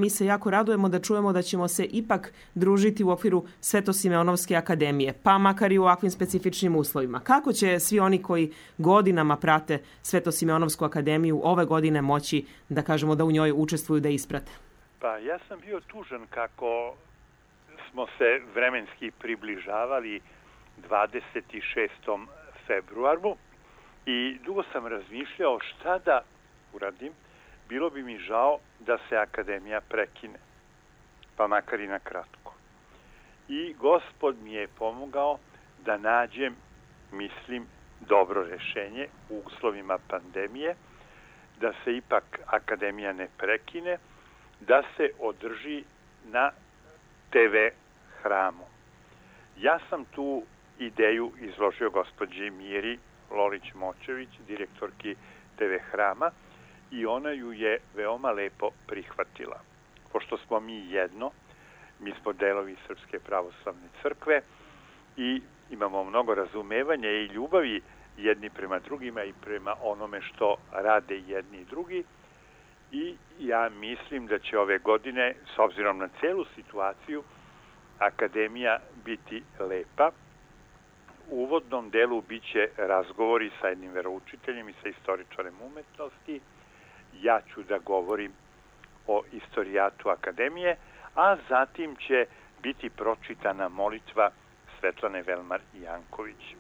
Mi se jako radujemo da čujemo da ćemo se ipak družiti u okviru Svetosimeonovske akademije, pa makar i u ovakvim specifičnim uslovima. Kako će svi oni koji godinama prate Svetosimeonovsku akademiju ove godine moći, da kažemo, da u njoj učestvuju, da isprate? Pa ja sam bio tužan kako smo se vremenski približavali 26. februaru i dugo sam razmišljao šta da uradim. Bilo bi mi žao da se akademija prekine, pa makar i na kratko. I Gospod mi je pomogao da nađem, mislim, dobro rešenje u uslovima pandemije, da se ipak akademija ne prekine, da se održi na TV hramu. Ja sam tu ideju izložio gospođi Miri Lolić-Močević, direktorki TV hrama, i ona ju je veoma lepo prihvatila. Pošto smo mi jedno, mi smo delovi Srpske pravoslavne crkve i imamo mnogo razumevanja i ljubavi jedni prema drugima i prema onome što rade jedni i drugi. I ja mislim da će ove godine, s obzirom na celu situaciju, akademija biti lepa. U uvodnom delu biće razgovori sa jednim veroučiteljem i sa istoričarem umetnosti. Ja ću da govorim o istorijatu akademije, a zatim će biti pročitana molitva Svetlane Velmar Janković.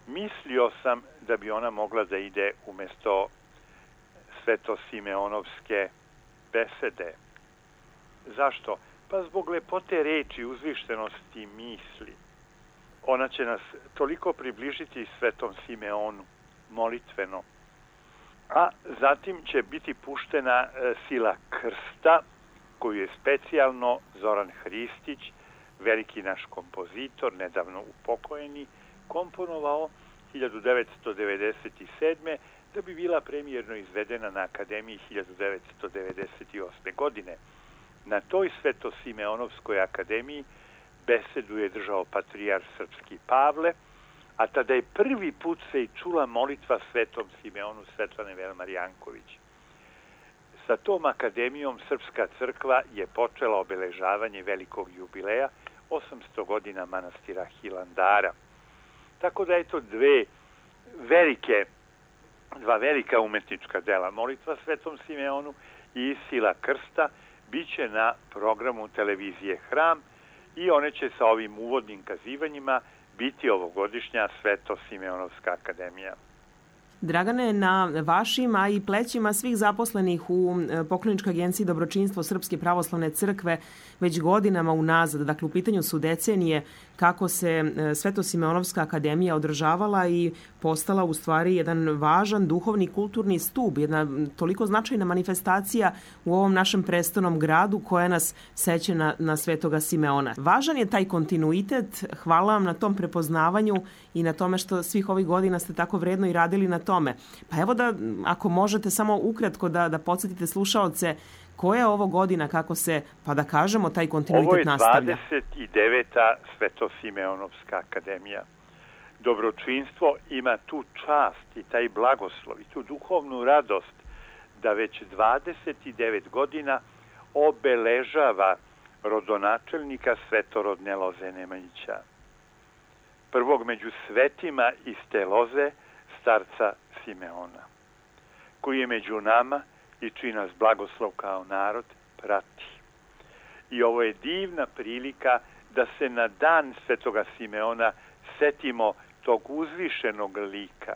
Mislio sam da bi ona mogla da ide umesto Svetosimeonovske besede. Zašto? Pa zbog lepote reči, uzvištenosti misli. Ona će nas toliko približiti Svetom Simeonu, molitveno. A zatim će biti puštena Sila krsta, koju je specijalno Zoran Hristić, veliki naš kompozitor, nedavno upokojeni, komponovao 1997. da bi bila premijerno izvedena na Akademiji 1998. godine. Na toj Svetosimeonovskoj akademiji besedu je držao patrijar srpski Pavle, a tada je prvi put se i čula molitva Svetom Simeonu Svetlane Velmar Janković. Sa tom akademijom Srpska crkva je počela obeležavanje velikog jubileja 800 godina manastira Hilandara. Tako da je to dva velika umetnička dela, molitva Svetom Simeonu i Sila krsta, biće na programu televizije Hram i one će sa ovim uvodnim kazivanjima biti ovogodišnja Svetosimeonovska akademija. Dragane, na vašim, a i plećima svih zaposlenih u Pokloničkoj agenciji Dobročinstvo Srpske pravoslavne crkve već godinama unazad, dakle u pitanju su decenije, kako se Svetosimeonovska akademija održavala i postala u stvari jedan važan duhovni kulturni stub, jedna toliko značajna manifestacija u ovom našem prestolnom gradu koja nas seće na Svetoga Simeona. Važan je taj kontinuitet, hvala vam na tom prepoznavanju i na tome što svih ovih godina ste tako vredno i radili na tome. Pa evo da, ako možete samo ukratko da podsjetite slušaoce, koja je ovo godina, kako se, pa da kažemo, taj kontinuitet nastavlja? Ovo je 29. Svetosimeonovska akademija. Dobročinstvo ima tu čast i taj blagoslov i tu duhovnu radost da već 29 godina obeležava rodonačelnika svetorodne loze Nemanjića. Prvog među svetima iz te loze, starca Simeona, koji je među nama i čiji nas blagoslov kao narod prati. I ovo je divna prilika da se na dan Svetoga Simeona setimo tog uzvišenog lika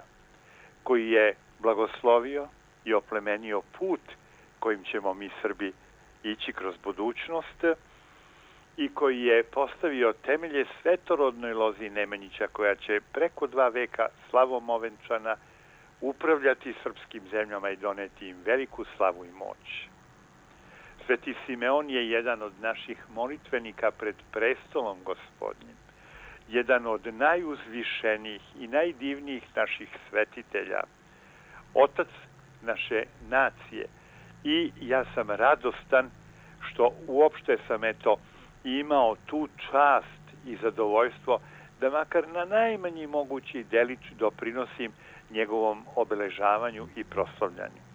koji je blagoslovio i oplemenio put kojim ćemo mi Srbi ići kroz budućnost i koji je postavio temelje svetorodnoj lozi Nemanjića koja će preko 2 veka slavom ovenčana upravljati srpskim zemljama i doneti im veliku slavu i moć. Sveti Simeon je jedan od naših molitvenika pred prestolom Gospodnjim, jedan od najuzvišenijih i najdivnijih naših svetitelja, otac naše nacije. I ja sam radostan što uopšte sam imao tu čast i zadovoljstvo da makar na najmanji mogući delić doprinosim njegovom obeležavanju i proslavljanju.